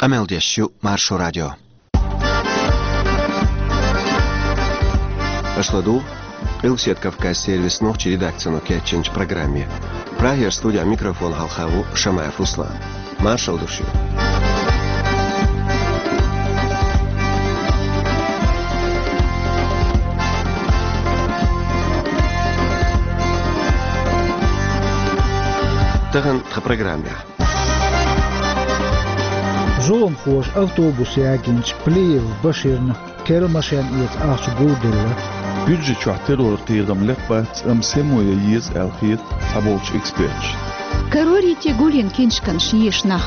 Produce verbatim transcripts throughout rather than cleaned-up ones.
Къамел деш ю Маршо радио. Аша ладугӀу Къилбаседа Кавказан сервисан нохчийн редакцино кечйинчу программе. Прагера студехь микрофон хьалха ву Шамаев Руслан. Маршалла ду шуьга. Тахана тхан программехь. Зуламхоша автобус ягийначу Плиев Баширна керла машен эца ахча гулделла. Гуьржийчохь террор кхерам лакхабац, амма сема ян еза аьлла хета цхьаболчу эксперташна. Карорийте гулйина киншканаш еша нах.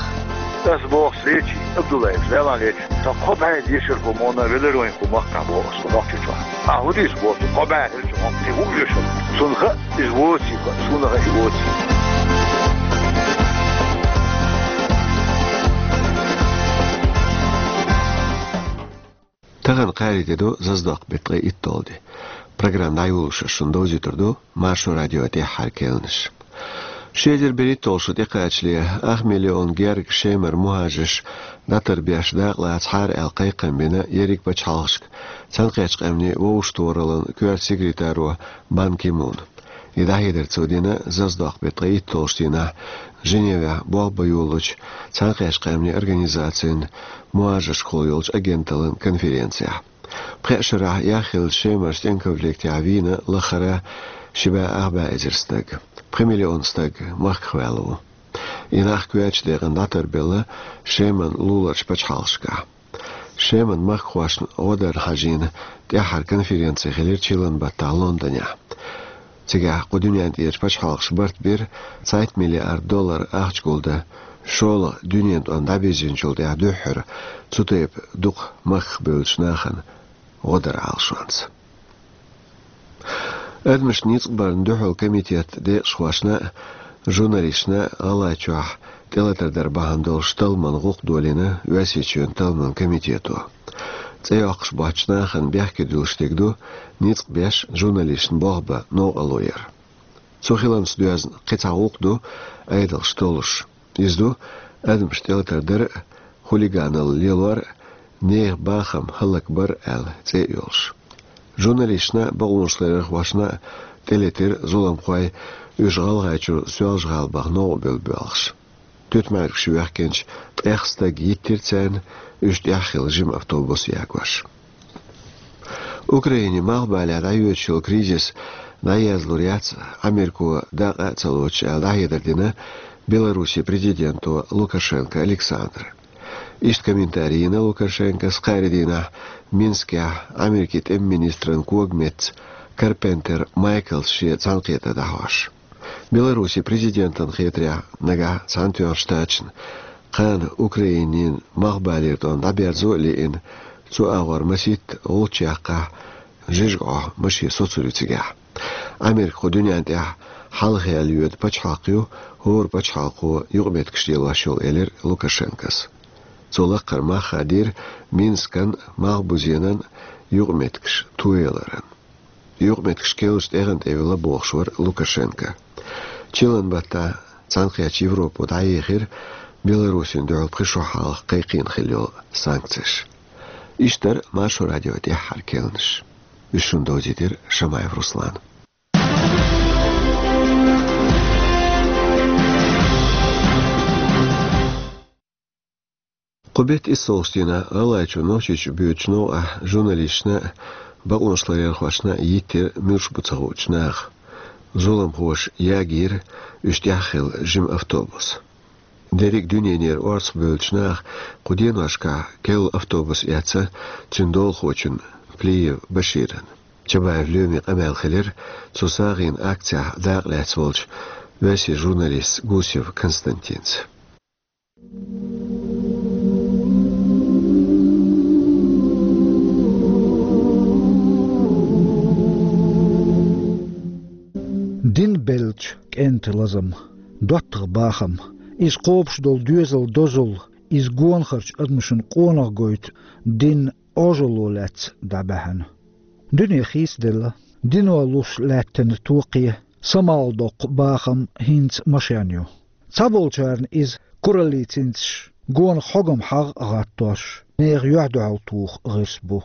Ас боху Лечи Абдуллаевс, Ӏалашо лечи. Сан кхо бӀе дешархо мона велароин кху махкахь боху ас Нохчийчохь. Ахьа хӀун дийца боху, кхо бӀе хӀирчу хьуна кхин хӀун оьшу? Цунна хаьа, иза воций, цунна хаьа, и воций. Тахана кхаарин де ду, зазадоккху беттан ткъе итталгӀа де. Программа дӀайолош шуна довзуьйтур ду Маршо радион тӀаьххьара керланаш. Ши эзар берхӀитталгӀа шо тӀекхачале ах миллион герга Шемара мухӀажарш дӀатарбеш дакъалацахьара аьлла кхайкхам бина ерриг пачхьалкхашка Цхьаьнакхеттачу Къаьмнийн Вовшахтохараллин коьрта секретаро Бан Ки Муна. И дӀахьедар цо дина зазадоккху беттан ткъе итталгӀачу дийнахь Женевехь болх бан йолучу Цхьаьнакхеттачу Къаьмнийн Организацин мухӀажаршкахула йолчу агенталлин конференцехь. Пхеа шарахь яхйиллачу Шемара стенконфликтехь вийна лахара ши бӀе ах бӀе эзар стаг. Пхи миллион стаг махках ваьлла ву. И нах коьртачу декъана дӀатарбелла Шеман луларчу пачхьалкхашкахь. Шеман махкахошна гӀо дарна хьажийна тӀаьххьара конференци хилира чиллан баттахь Лондонехь. Цигахь кху дуьнен тӀерачу пачхьалкхаша барт бира цхьайтта миллиард доллар ахча гулдан, шолгӀа дуьненан тӀом дӀабирзинчул тӀаьхьа дуьххьара цу тайпа дукха махках бевллачу нахана гӀо даран Ӏалашонца. Адамашна ницкъ барна дуьхьал комитетан декъашхошна а, журналисташна а ГӀалгӀайчохь тӀелатар дар бахьана долуш талламан гӀуллакх долийна Оьрсийчоьнан талламан комитето. ЦӀе йоккхуш боцчу нахана бехке дуьллуш дерг ду ницкъ беш журналисташна болх бан новкъарло яр. Цу хиларца доьзна кхин цхьа гӀуллакх ду Ӏедалша толлуш. Иза ду адамаш тӀелатар дар а, хулиганалла лелор а, нехан бахам хӀаллакбар а аьлла цӀе а йолуш. Журналисташна а, бакъонашларъярхошна а тӀелетира зуламхой уьш ГӀалгӀайчуьра Соьлжа-ГӀала баха новкъа буьллу боьлхуш. Туьтмаьргаш вехкинчу ткъех стаг йиттира царна, уьш тӀехь хилла жима автобус ягош. Украине малхбалехь дӀайоьдуш йолу кризис дӀаерзалур яц Америко дакъа а ца лоцуш аьлла дӀахьедар дина Беларусин президенто Лукашенко Александра. Иштта комментарий йина Лукашенкос кхаарин дийнахь Минскехь Америкин тӀеман министран когаметтаца Карпентер Майклс шен цхьаьнакхетар дӀахьош. Беларусин президентан хетарехь, нагахь Цхьаьнатоьхначу Штаташна кхана Украинин малхбалера тӀом дӀаберзо а лиъна, цу агӀор масийтта гӀулч яккхахь, жижиг Ӏохь машен соцур ю цигахь. Америка кху дуьнен тӀехь хьалхаялла йоьду пачхьалкх ю, хӀора пачхьалкхо юкъаметтигаш лелош йолу, элира Лукашенкос. Цо лаккхара мах хадийра Минскан, Малхбузенан юкъаметтигаш тояларан. Юкъаметтигаш керлачу тӀегӀан тӀе вилла бохуш вара Лукашенко. Чиллан баттахь Цхьаьнакхеттачу Европо дӀаехира Беларусина дуьхьал пхи шо хьалха кхайкхийна хилла йолу санкцеш. Иштта дара Маршо радион тӀаьххьара керланаш. Уьш шуна довзийтира Шамаев Руслана. Кху беттан иссалгӀачу дийнахь ГӀалгӀайчу Нохчийчу боьдучу новкъахь журналисташна а, бакъонашларъярхошна а йиттира муьлш бу ца хуучу наха. Зуламхоша ягийра уьш тӀехь хилла жима автобус. Дерриг а дуьненера орцахбевллачу наха кху деношкахь керла автобус эцна цуьнан долахочун Плиев Баширан. Чабаев Лоьмин къамел хилира цу сагӀина акцехь дакъа лаьцна волчу оьрсийн журналистца Гусев Константинца. Дин беллачу кӀентан лазам, доттагӀа бахам, иза кхобуш долу доьзал дозалла, иза гонахарчу адамашна къонах гойту дин Ӏожалло лаьцна дӀабаьхьна. Дуьне хийцаделла, дино луш лаьттина токхе, самалдоккху бахам хӀинца машен ю. Цхьаболчарна иза кураллин цинцаш, Гонах хьогам хьагӀ а гӀаттош, нехан юьхь-дуьхьал тоха гӀирс бу.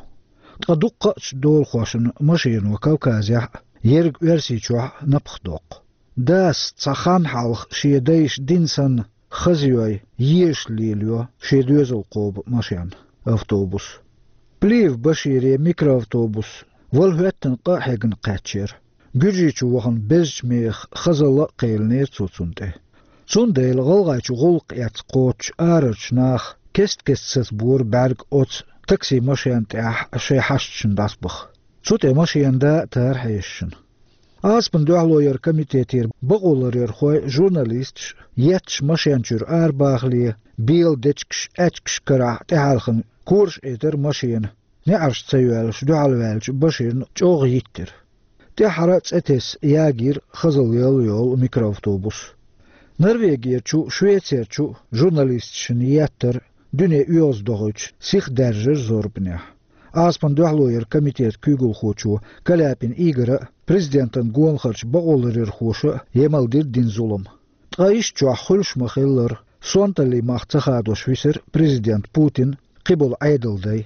Ткъа дуккхача долахошна машено Кавказехь а, ерриг Оьрсийчохь а напха доккху. Дас цхьа хан хьалха шен дайша дина санна хаза йой, езаш лелайо шен доьзал кхоба машен, автобус. Плиев Башире микроавтобус вала хӀоьттина къа а хьегна кхаьчнера. Гуьржийчу вахана безачу мехах хазалла а кхелинера цо цунна тӀе. Цундела ГӀалгӀайчу гӀуллакх эцна кхочучу арарчу наха кест-кеста сацабора бӀаьрг оцу такси-машен тӀехь шайн хьашташна дӀасабаха. Цу тӀе машенан да а тара хьешашна. Ӏазапан дуьхьало яран комитетера бакъоларъярхой, журналисташ етташ машен чуьра арабахале, бела дечигаш, аьчкаш карахь тӀехьаьлхана кораш Ӏетара машена, неӀарш ца йоьллаш дуьхьалваьллачу Баширна чӀогӀа йиттира. ТӀаьххьара а цӀе тесна ягийра хазалла йолу микроавтобус. Норвегерчу, Швецерчу журналисташна еттара дуьне оьгӀаздохуьйтуш сиха даьржира зорбанехь. Ӏазапан дуьхьало яран комитетан куьйгалхочо Каляпин Игора а, президентан гонахарчу бакъоларъярхоша а емал дира дина зулам. Ткъа иштта чохь хуьлуш ма-хиллара, сонталлин мах ца хадош висира президент Путин, кхиболу Ӏедалан дай.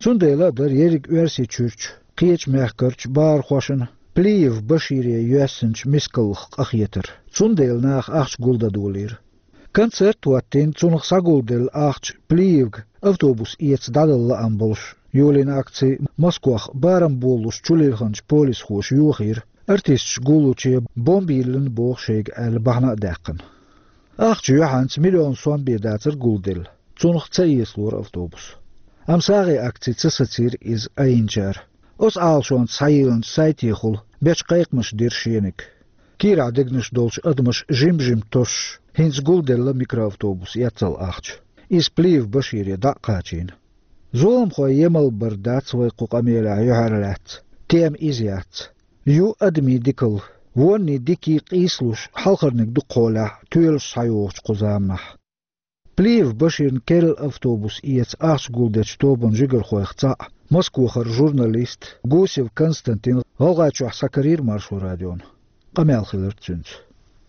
Цундела а дара ерриг Оьрсийчуьрчу, кхечу мехкарчу бахархошна Плиев Башире йоьссинчу мискаллах къахетар. Цундела наха ахча гулдан долийра. Концерт а хӀоттийна, цунах схьагулделла ахча Плиевга автобус эца дӀадала лаам болуш, йолийна акци Москвахь барам болалуш чулилхинчу полисхоша йохийра, артисташ гуллуче бомба йиллина боху шайга аьлла бахьана а даьккхина. Ахча юьхьанца миллион сом бен дацара гулделла, цунах ца эцалора автобус. Амма сагӀин акци ца сацийра иза айинчара. Оцу Ӏалашонца схьайиллинчу сайтехула бечу кхайкхамаша дира шениг. Кийрахь дегнаш долчу адамаша жим-жим тосуш, хӀинца гулделла микроавтобус эцал ахча. Иза Плиев Башире дӀа а кхачийна. Зуламхойн емал бар дац вай кху къамелехь юьхьарлаьцна, тема иза яц. Ю адамийн дикалла, вонний дикий къийсалуш хьалхарниг ду кхолехь тоьлуш схьайогӀучу кху заманахь. Плиев Баширна керла автобус эца ахча гулдечу тобанан жигархойх цхьаъ, Москвахара журналист Гусев Константин ГӀалгӀайчохь схьакарийра Маршо радиона. Къамел хилира цуьнца.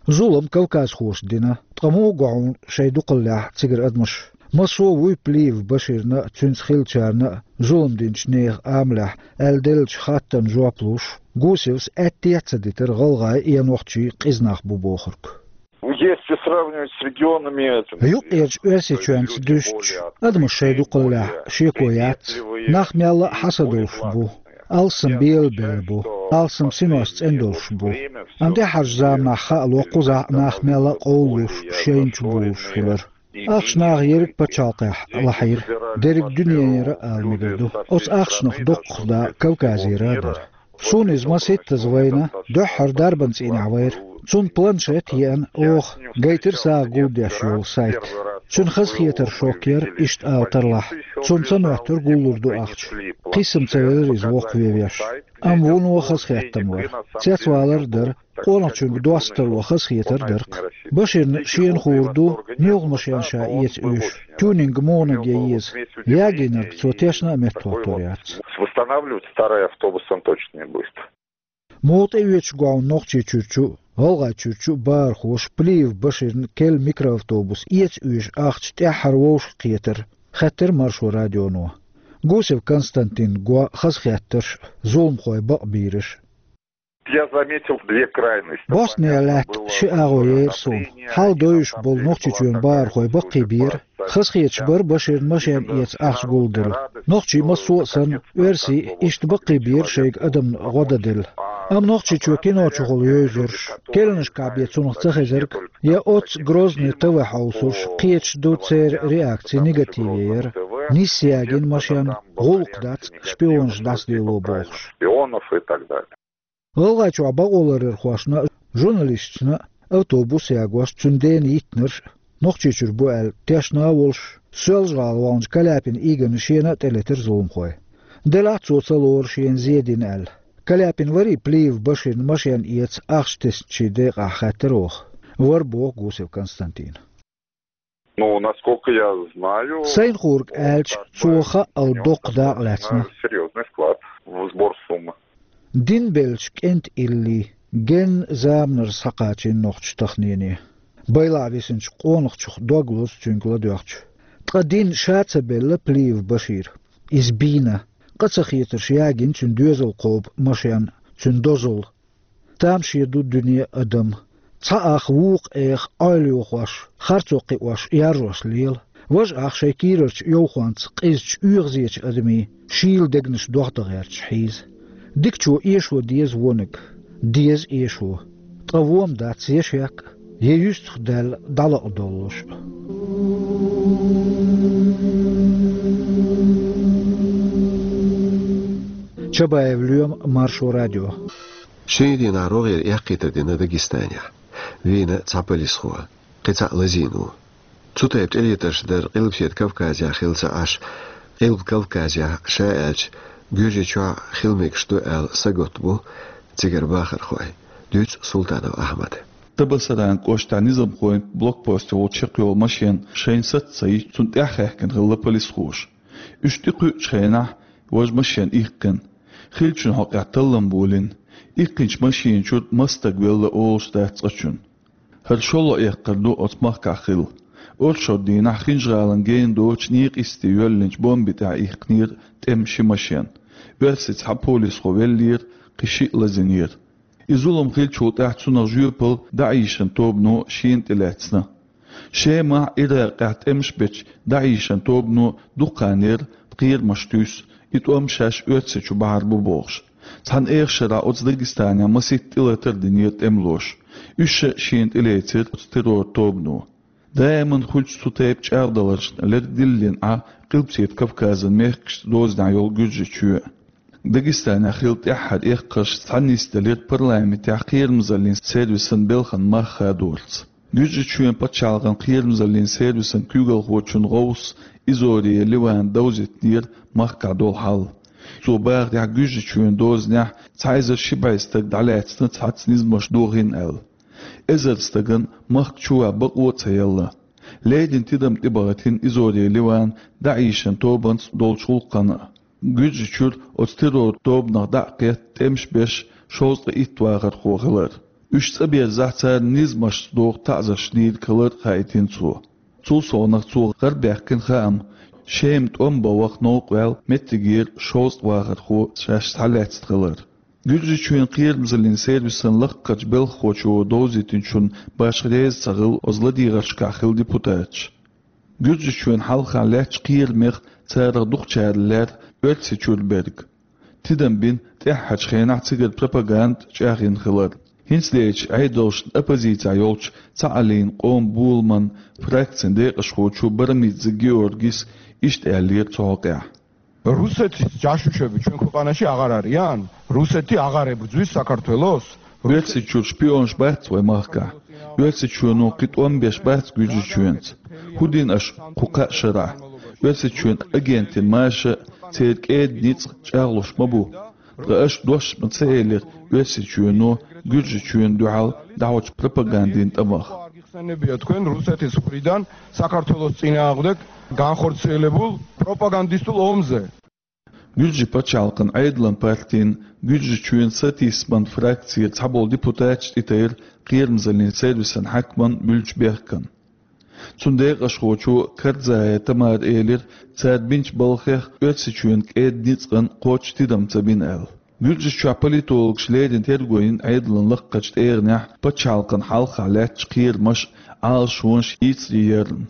Зулам кавказхоша дина, ткъа муха го хьуна шайн дукхаллехь цигара адамаш? Массо а вуй Плиев Баширна а, цуьнца хиллачарна а зулам динчу нехан амалехь аьлла деллачу хаттарна жоп луш, Гусевс аьтте а ца дитира гӀалгӀайн я нохчийн къиза нах бу бохург. Если сравнивать с регионами, это, Юккъерчу Оьрсийчоьнца дуьстича, адамаш шайн дукхаллехь шеко яц, нах мелла а хьаса долуш бу, алссам белабелла бу, алссам синош цӀена долуш бу. Амма тӀаьххьарчу заманахь хаало кхузахь нах мелла а къовлалуш, шайна чу болуш хилар. Ахча наха ерриг пачхьалкхехь лахьийра, дерриг дуьненара а ала мегар ду. Оцу ахчанах доккхах да Кавказера а дара. Суна иза масийттаза вайна, дуьххьара дарбан цӀийнехь вайра. Цунна планшет а еана, оха гайтира сагӀа гулдеш йолу сайт. Цуьнан хазахетар шок яра, иштта ала тарлахь. Цунна ца моьттура гуллур ду ахча. Кхиссам ца велира иза воккхаве веш. Амма вуно хазахеттам вара. Цецвалар а дара, къонахчуьнга достало хазахетар а дара-кх. Баширна шена хуур ду, муьлха машен ша эца оьшу, тюнинг муха наг ян еза. Ягийнарг цо тешна а меттахӀоттор яц. Восстанавливать старый автобус он точно не будет. Муха тӀеоьцуш го хьуна Нохчийчуьрчу а, ГӀалгӀайчуьрчу а бахархоша Плиев Баширна керла микроавтобус эца оьшу ахча тӀаьххьара вовшахкхетар, хаьттира Маршо радионо. Гусев Константинна го хазахеттарш а, зуламхойн бакъбийраш а. Я заметил две крайности. Боснехь лаьтта ши агӀо яра суна. Хьал дойуш болу Нохчийчоьнан бахархой баккхийбийра, хазахеташ бара Баширна машен эца ахча гулделла. Нохчий массо а санна, оьрсий иштта баккхийбийра шайга адамна гӀо дан делла. Амма Нохчийчоь кино чухула йовзурш, керланашкахь бен цунах ца хезарг, я оццу Грозный ТВ хьовсурш, кхеташ ду церан реакци негативе яра. Нисса ягийна машен, гӀуллакх дац, шпионаш дӀасадилла бохуш. Шпионов и так далее. ГӀалгӀайчохь бакъоларъярхошна а, журналисташна а автобус ягош, цуьнан дена йиттинарш а, Нохчийчуьра бу аьлла тешна а волуш, Соьлжа-ГӀала ваханчу Каляпин Игорна шена а тӀелетира зуламхой. Делахь а цо ца лору шена зе дина аьлла. Каляпин варий Плиев Баширна машен эца ахча тесначийн декъахь хаьттира оха. Вара, боху Гусев Константина. Ну, насколько я знаю, Сайна хуург аьлча, цо хаъал доккха дакъа лаьцна. Серьёзный вклад в сбор суммы. Дин беллачу кӀентан илли генна заманара схьакхачийна нохчаша тахнене. Байлахь висинчу къонахчух дог лозу цуьнга ладоьгӀча. Ткъа дин ша ца белла Плиев Башира. Иза бийна. Къа ца хетарш ягийна цуьнан доьзал кхобу машен, цуьнан дозалла. Тамаше ду дуьне а, адам а. Цхьа ах вукху эха Ӏойла йохош, харцо кхиош, яржош лела. Важа ах шайн кийрарчу йовхонца къизачу оьгӀазечу адамийн шийла дегнаш дохдан гӀерташ хьийза. Дикачо эшо деза вониг, деза эшо. Ткъа вон ма дац я шек а, я юьстах даьлла дӀалакъадоллуш а. Чабаев Лоьма, Маршо радио. Шинарин дийнахь рогӀера эккхийтар дина Дагестанехь. Вийна цхьа полисхо, кхин цхьаъ лазийна ву. Цу тайпа тӀелетарш дар Къилбаседа Кавказехь хилла ца Ӏаш, Къилба Кавказехь, ша аьлча, Гуьржийчохь хила мегаш ду аьлла сагатта бу цигара бахархой, дуьйцу Султанов Ахьмада. Табасаран кӀоштахь низамхойн блокпосте волчу чекхйолу машен шайна саца ца йича, цунна тӀаьхьахаьхкина хилла полисхоша. Уьш тӀекхуьучу хенахь важа машен иккхина. Хиллачун хьокъехь таллам болийна. Иккхинчу машина чуьра маса стаг велла олуш дац цкъачунна. ХӀара шолгӀа эккхар ду оцу махкахь хилла. Оршот дийнахь Хинжа-ГӀалин гена доцучу некъа йисте йоьллинчу бомби тӀехь иккхинера тӀеман ши машен. Оьрсица цхьа полисхо веллера, кхин шиъ лазийнера. И зулам хиллачул тӀаьхьа цунах жоьпалла ДАИШан тобано шена тӀелаьцна. Шемахь, Иракъехь тӀемаш бечу ДАИШан тобано дукха хан яра кхерамаш туьйсу, и тӀом шаьш Оьрсийчу бахьар бу бохуш. Цхьана эха шарахь оцу Дагестанехь масийтта тӀелатар динера тӀемалоша. Уьш шена тӀелецира оцу террор тобано. Даиман хуьлучу цу тайпа чӀагӀдаларшна лерг диллина Ӏа Къилбаседа Кавказан мехкашца дозанехь йолу Гуьржийчоь. Дагестанехь хилла тӀаьххьара эккхарш цхьаьна нисделира парламентехь кхерамзаллин сервисан белхан мах хадорца. Гуьржийчоьнан пачхьалкхан кхерамзаллин сервисан куьйгалхочун гӀовс Изория Ливана довзийтинера махкахь долу хьал. Цо бахарехь, Гуьржийчоьнан дозанехь цхьа эзар ши бӀе стаг дӀалаьцна цхьацца низамаш дохийна аьлла. Эзар стагана махка чуван бакъо а ца елла. Леррина тидам тӀебахийтина Изория Ливана ДАИШан тобанца долчу гӀуллакхна а. Гуьржийчуьра оцу террор тобанах дӀа а кхетта тӀемаш беш шовзткъе итт вахархо хилар. Уьш цӀа берзахь, царна низамашца доху таӀзарш дийриг хилар хаийтина цо. Цул совнаха цо гӀарабаьккхина хаам, Шема тӀом бан ваха новкъа ваьлла меттигера шовзткъа вахархо шаьш схьалаьцна хилар. Гуьржийчоьнан кхерамзаллин сервисан лакхарчу белхахочо довзийтинчунна башха реза ца хилла оцу ладегӀаршкахь хилла депутаташ. Гуьржийчоьнан хьалха лаьттачу кхерамех царах дукхачара лаьрра Оьрсийчуьра берг. Тидам бина тӀаьххьарчу хенахь цигара пропаганда чӀагӀйина хилар. ХӀинцалерчу Ӏедалшна оппозицехь йолчу Цхьааллин къоман боламан фракцин декъашхочо Барамидзе Георгис иштта аьллера цу хьокъехь. Русети чашучеби чуьнкуькъаначи агӀар ариян, русети агӀаре бузуй Сакартвелос. Оьрсийчуьра шпионаш бац вай махкахь. Оьрсийчоьно кхин тӀом беш бац Гуьржийчоьнца. ХӀун дина аша кху кхаа шарахь? Оьрсийчоьнан агентийн маша, церан кӀеда ницкъ чӀагӀлуш ма бу. Ткъа аша дош ма ца элира Оьрсийчоьно Гуьржийчоьнна дуьхьал дӀахьочу пропагандин тӀамах. Саннебият квен русетис хуридан Сакартвелос цӀинагӀдек ганхорцелебул пропагандистул омзе. Гуьржийн пачхьалкхан Ӏедалан партин Гуьржийчоьнан сатийсаман фракцера цхьаболу депутаташ тӀетайра кхерамзаллин сервисан хьаькаман буьллучу бехкана. Цуьнан декъашхочо Карзая Тамара элира, цара бинчу балхех Оьрсийчоьнан кӀеда ницкъан кхоччуш тидам ца бина аьлла. Гуьржийчохь политологаш леррина терго йина Ӏедалан лакхарчу тӀегӀанехь пачхьалкхан хьалха лаьттачу кхерамаш, Ӏалашонаш йийцаре ярна.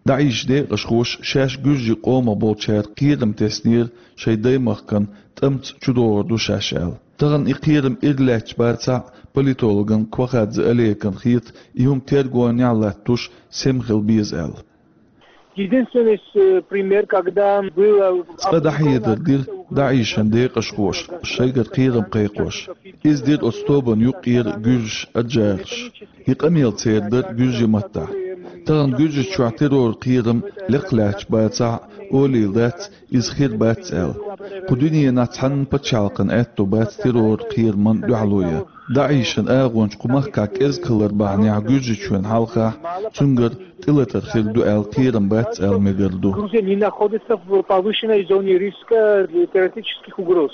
ДАИШ декъашхоша шаьш гуьржийн къомах болчара кхерам теснера шайн даймахкана тӀамца чудогӀур ду шаьш аьлла. Тахана и кхерам ира лаьтташ бацахь а, политологан Квахадзе Олеган хета, и хӀума тергонехь а латтош сема хила беза аьлла. Единственный с- э, пример, когда было... Цкъа дӀахьедар дира ДАИШан декъашхоша, шайгара кхерам кхайкхош. Иза дира оцу тобанна юккъера гуьржаш, аджараш. И къамел церан дара гуьржийн маттахь. Тахана Гуьржийчохь террор кхерам лекха лаьтташ бацахь а, олийла дац, иза хир бац аьлла. Кху дуьненахь цхьанна пачхьалкхан аьтто бац террор кхерамна дуьхьало ян. ДАИШан агӀончаш кху махкахь кӀезиг хилар бахьанехь Гуьржийчоьнан хьалхахь цуьнгара тӀелатар хир ду аьлла кхерам бац аьлла мегар ду. Грузия не находится в повышенной зоне риска для террористических угроз.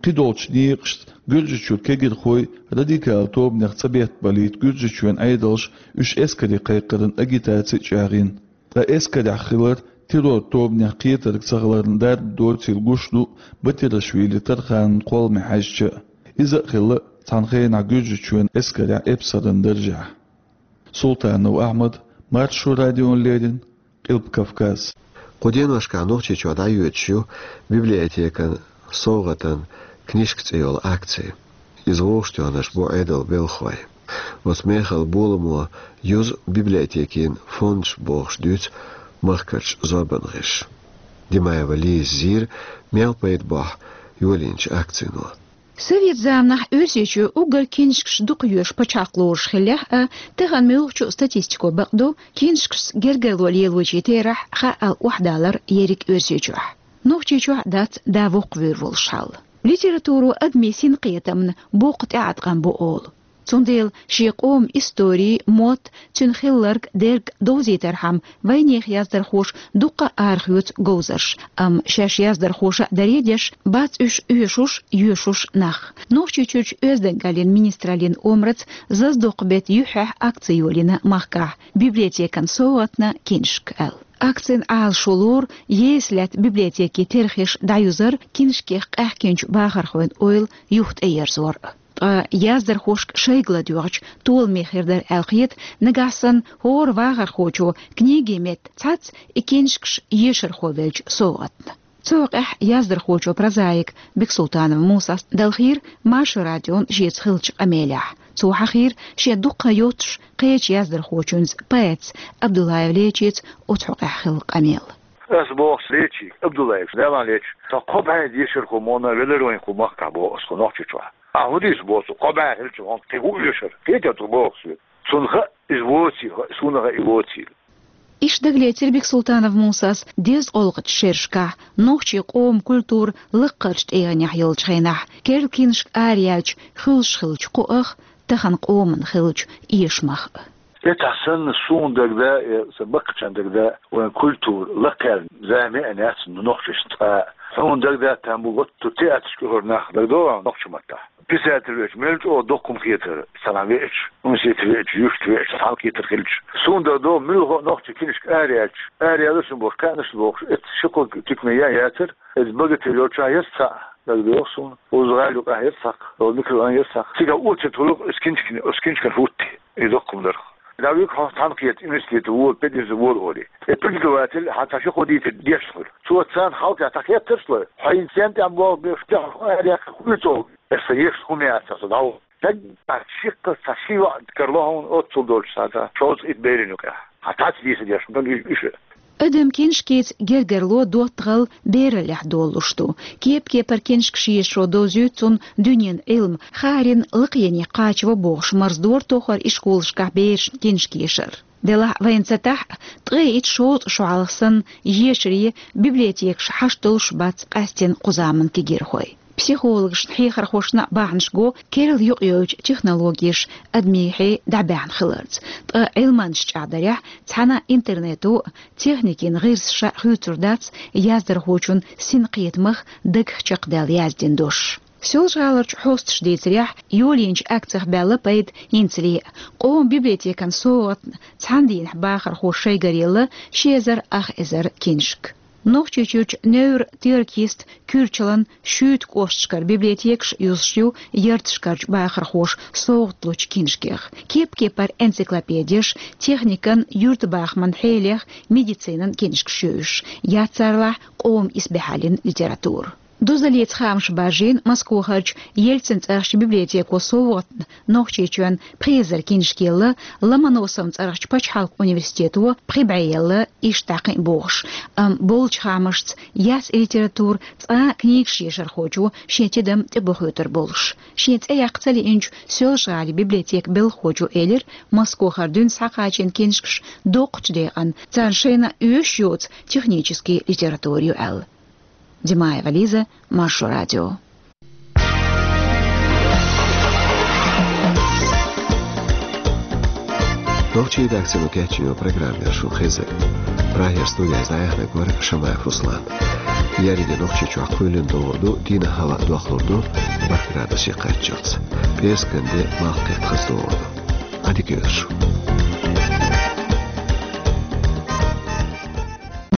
Кхидолчу некъашца Гуьржийчуьра кегирхой радикал тобанех цӀа беттабалийта Гуьржийчоьнан Ӏедалша уьш эскаре кхайкхаран агитаци а чӀагӀйина. Ткъа эскарехь хилар Террор тобанех кхетарг ца хиларна дарба доцийла гуш ду Батирашвили Тарханан кхолламе хьаьжча а. Иза а хилла цхьана хенахь Гуьржийчоьнан эскарехь эпсаран даржехь. Султанов Ахьмад, Маршо радиона леррина, Къилба Кавказ. Кху деношкахь Нохчийчохь дӀайоьдуш ю библиотекан совгӀатан книжка цӀе йолу акци. Иза вовшахтоьхнарш бу Ӏедалан белхалой. Оцу мехала боламо юзу библиотекийн фондаш бохуш дуьйцу махкарчу зорбанан гӀирсаша. Димаева Лиза зийра, мел пайда бохьу йолийначу акцино. Совет заманахь Оьрсийчоь уггар книжкаш дукха йоьшу пачхьалкх лоруш хиллехь а, тахана муьлххачу статистико бакъду, книжкашца гергарло лелочийн терахь хаал охьадалар ерриг Оьрсийчохь. Нохчийчохь дац да воккхавуьйр волуш хьал. Литературо адамийн синкхетамна боккха тӀеӀаткъам бу олу. Цундела шен къоман истори, мотт, цуьнан хилларг, дерг довзийтархьама вайнехан яздархоша дуккха а арахоьцу говзарш, амма шаьш яздархоша а даре а деш, бац уьш оьшуш, йоьшуш нах. Нохчийчуьрчу оьздангаллин министраллин омраца Заздоккху беттан юьххьехь акци йолийна махкахь «Библиотекан совгӀатна книжка» аьлла. Акцин Ӏалашо лору еса лаьтта библиотекийн терхеш дӀаюзар, книжкех къаьхкинчу бахархойн ойла юха тӀеерзор. Ткъа яздархошка шайга ладоьгӀучу толаман хир дара аьлла хета, нагахь санна хӀора вахархочо книгин метта цхьацца и книжкаш ешархо веллачу совгӀатна. Цу хьокъехь яздархочо прозаик Бексултанов Мусас далхийра Маршо радион шеца хиллачу къамелехь. Цо хьахийра шен дуккха а йоццуш кхечу яздархочуьнца, поэтца Абдуллаев Лечица оцу хьокъехь хилла къамел. Ас боху Лечига, Абдуллаевс, Дала лечу, со кхо бӀе ешархо ма вара велира вайн кху махкахь, боху ас, кху Нохчийчохь. Ахьа хӀун дийца боху цо, кхо бӀе хилча, хьуна кхин хӀун оьшура? Кхетий цо боху соьга? Цунна хаьа иза воцийла, суна хаьа и воцийла. Иштта дагалецира Бексултанов Мусас дезткъолгӀачу шерашкахь, нохчийн къоман культура лаккхарчу тӀегӀанехь йолчу хенахь, керла книжка араяьлча хуьлуш хиллачу кхуъах, тахана къоман хиллачу эшамах а. ХӀетахь санна суна дагадаа, я сан баккхачарна дагадаа, вайн культура лакхаьлла зама а яц нохчашна цкъа а. Хьуна дагадаа, там бу гӀотту театрашка оьхура нах, дагадогӀий, нохчийн маттахь. Писатель веача, мел чӀогӀа доккха хӀума хетара, цхьана веача, университете веача, юьртахь веача, цхьаьна хетар хилча. Суна дагадогӀу, муьлхха а нохчийн книжка араяьлча, араяьлла шуна бохуш, кхаьънаш бохуш, эцца ши-кхо туькане ян яцара, иза «Богатырь» йолчохь яра цхьаъ, дагадогӀу суна. Узу-ГӀала юкъахь яра цхьаккха, оцу микрорайон яра цхьаккха. Цига а оццул тулук оцу книжкан, оцу книжкан хӀуттий и доккха хӀума дарх. Давик хьо цхьаьна кхета университете вола, пединституте вола олий. И преподаватель хьан цхьа ши-кхо дийцар дешна хуьлу. Цо царна хьалха цхьа хеттарш лой, хьо хӀинца стенна тӀехь болх беш, тӀехь хьо араяьккхина хуьйцу олу. Аса еш хӀума яц аса дӀаволу. Дагахь шиккха цхьа ши йоӀ карло хьуна оццул долчу схьа, шовзткъа итт берийн юкъахь. Хьан цхьацца дийца деш, ман уьш, уьш. Адам книжкица гергарло, доттагӀалла бераллехь долалуш ду. Кеп-кепара книжкаш ешаро довзуьйту цунна дуьненан Ӏилма, хаарина лакхене кхачаво бохуш марздора тохара ишколашкахь берашна книжка ешар. Делахь вайна ца тахь а, ткъе итт-шовзткъа шо хьалха санна ешаре библиотекаш хьашт долуш бац къаьстина кху заманан кегийрхой. Психологашна, хьехархошна а бахьанаш го керла юкъайовлучу технологеша адамийн хье дӀабаьхьна хиларца. Ткъа Ӏилманчаш чӀагӀдарехь, цхьана интернето а, техникин гӀирсаша а хуьйцур дац яздархочун синкхетамах дагах чекхдаьлла яздина дош. Соьлжа-ГӀаларчу хьосташа дийцарехь, йолийначу акцих баьлла пайда хӀинцале а. Къоман библиотекан совгӀатна цхьана дийнахь бахархоша шайгара елла ши эзар ах эзар книжка. Нохчийчуьрчу невр-теракист Куьрчалан, Шуьйта кӀошташкара библиотекаш юзуш ю ярташкарчу бахархоша совгӀат лучу книжкех. Кеп-кепара энциклопедеш, техникан, юьртабахаман хьелех, медицинан книжкаш ю уьш. Яц царалахь къоман исбаьхьаллин литература. Дозаллица хаамаш баржийна Москвахарчу Ельцин цӀарахчу библиотеко совгӀатна Нохчийчоьнна пхи эзар книжка елла, Ломоносовн цӀарахчу пачхьалкхан университето пхи бӀе елла, иштта дӀа кхин а бохуш. Амма болчу хаамашца, яц и литература цкъа а книгаш ешархочо шен тидам тӀебохуьйтур болуш. Шен цӀе яккха ца лиъначу Соьлжа-ГӀалин библиотекан белхахочо элира, Москвахара дуьйна схьакхачийна книжкаш доккхачу декъана царна шайна оьшуш йоцу технически литература ю аьлла. Димаева Лиза, Маршо радио. Нохчийн редакцино кечйина программа яра шуна хезира. Прагера студера дӀаяьхьнарг вара Шамаев Руслан. Ерриге Нохчийчохь кхоьлина догӀур ду, дийнахь хӀаваъ дохлур ду бархӀ градусе кхаччалц. ПӀераскан де малх кхетта хаза догӀур ду. Ӏадика йойла шун.